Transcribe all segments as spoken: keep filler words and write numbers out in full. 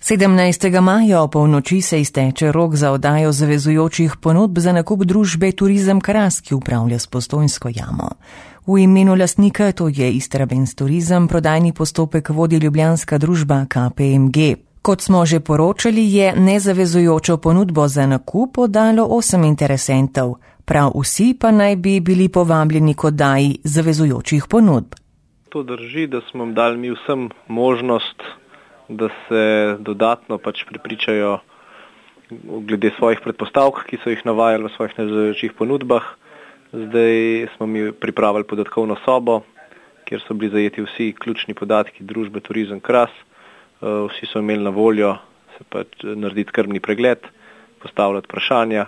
sedemnajstega maja o polnoči se izteče rok za oddajo zavezujočih ponudb za nakup družbe Turizem Kras, ki upravlja s Postojnsko jamo. V imenu lastnika, to je Istrabenz Turizem, prodajni postopek vodi ljubljanska družba K P M G. Kot smo že poročali, je nezavezujočo ponudbo za nakup oddalo osem interesentov, prav vsi pa naj bi bili povabljeni k oddaji zavezujočih ponudb. To drži, da smo jim dali mi vsem možnost, da se dodatno pač prepričajo glede svojih predpostavk, ki so jih navajali v svojih nezavezujočih ponudbah. Zdaj smo mi pripravili podatkovno sobo, kjer so bili zajeti vsi ključni podatki družbe Turizem Kras. Vsi so imeli na voljo se pač narediti skrbni pregled, postavljati vprašanja.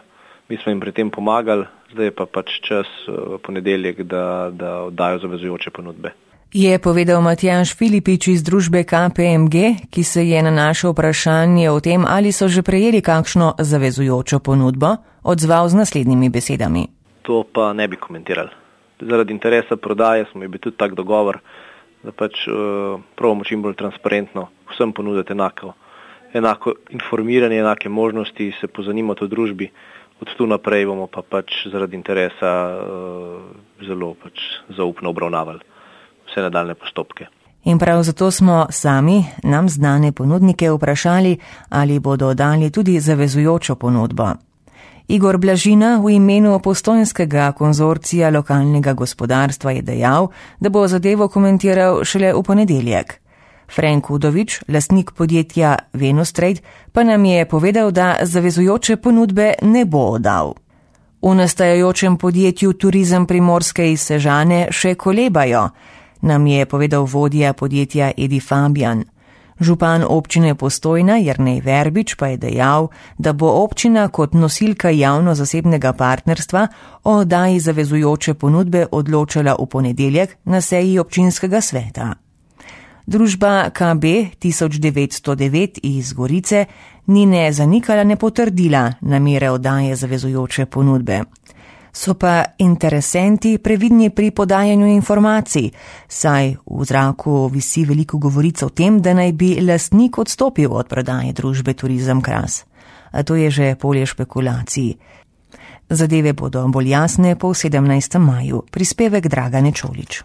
Mi smo jim pri tem pomagali, zdaj je pa pač čas v ponedeljek, da, da oddajo zavezujoče ponudbe. Je povedal Matjaž Filipič iz družbe K P M G, ki se je na naše vprašanje o tem, ali so že prejeli kakšno zavezujočo ponudbo, odzval z naslednjimi besedami. To pa ne bi komentirali. Zaradi interesa prodaje smo imeli tudi tak dogovor, da pač uh, probamo čim bolj transparentno vsem ponuditi enako, enako informiranje, enake možnosti, se pozanimati o družbi. Od tu naprej bomo pa pač zaradi interesa uh, zelo pač zaupno obravnavali vse nadaljne postopke. In prav zato smo sami, nam znane ponudnike, vprašali, ali bodo dali tudi zavezujočo ponudbo. Igor Blažina v imenu Postojnskega konzorcija lokalnega gospodarstva je dejal, da bo zadevo komentiral šele v ponedeljek. Frank Udovič, lastnik podjetja Venus Trade, pa nam je povedal, da zavezujoče ponudbe ne bo oddal. V nastajajočem podjetju Turizem Primorske iz Sežane še kolebajo, nam je povedal vodja podjetja Edi Fabijan. Župan občine Postojna Jernej Verbič pa je dejal, da bo občina kot nosilka javno-zasebnega partnerstva o oddaji zavezujoče ponudbe odločala v ponedeljek na seji občinskega sveta. Družba K B tisoč devetsto devet iz Gorice ni ne zanikala, ne potrdila namere oddaje zavezujoče ponudbe. So pa interesenti previdni pri podajanju informacij, saj v zraku visi veliko govoric o tem, da naj bi lastnik odstopil od prodaje družbe Turizem Kras. A to je že polje špekulacij. Zadeve bodo bolj jasne po sedemnajstem maju. Prispevek Dragane Čolič.